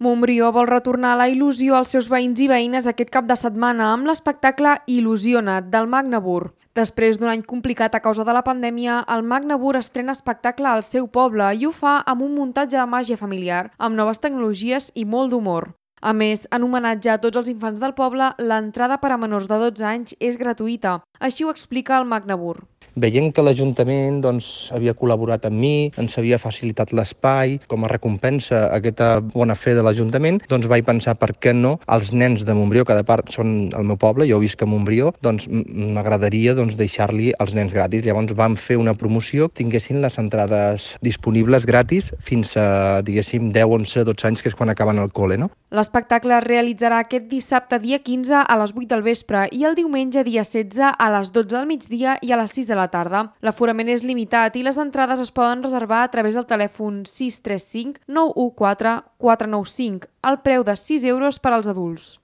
Montbrió vol retornar la il·lusió als seus veïns i veïnes aquest cap de setmana amb l'espectacle Il·lusiona't del Magnabur. Després d'un any complicat a causa de la pandèmia, el Magnabur estrena espectacle al seu poble i ho fa amb un muntatge de màgia familiar, amb noves tecnologies i molt d'humor. A més, en homenatge a tots els infants del poble, l'entrada per a menors de 12 anys és gratuïta. Així ho explica el Magnabur. Veient que l'Ajuntament havia col·laborat amb mi, ens havia facilitat l'espai, com a recompensa a aquesta bona fe de l'Ajuntament, vaig pensar per què no els nens de Montbrió, que de part són el meu poble, jo visc a Montbrió, m'agradaria deixar-li als nens gratis. Llavors vam fer una promoció, tinguessin les entrades disponibles gratis fins a, 10, 11, 12 anys, que és quan acaben el col·le, no? L'espectacle es realitzarà aquest dissabte dia 15 a les 8 del vespre i el diumenge dia 16 a les 12 del migdia i a les 6 de la tarda. L'aforament és limitat i les entrades es poden reservar a través del telèfon 635 914 495, al preu de 6 euros per als adults.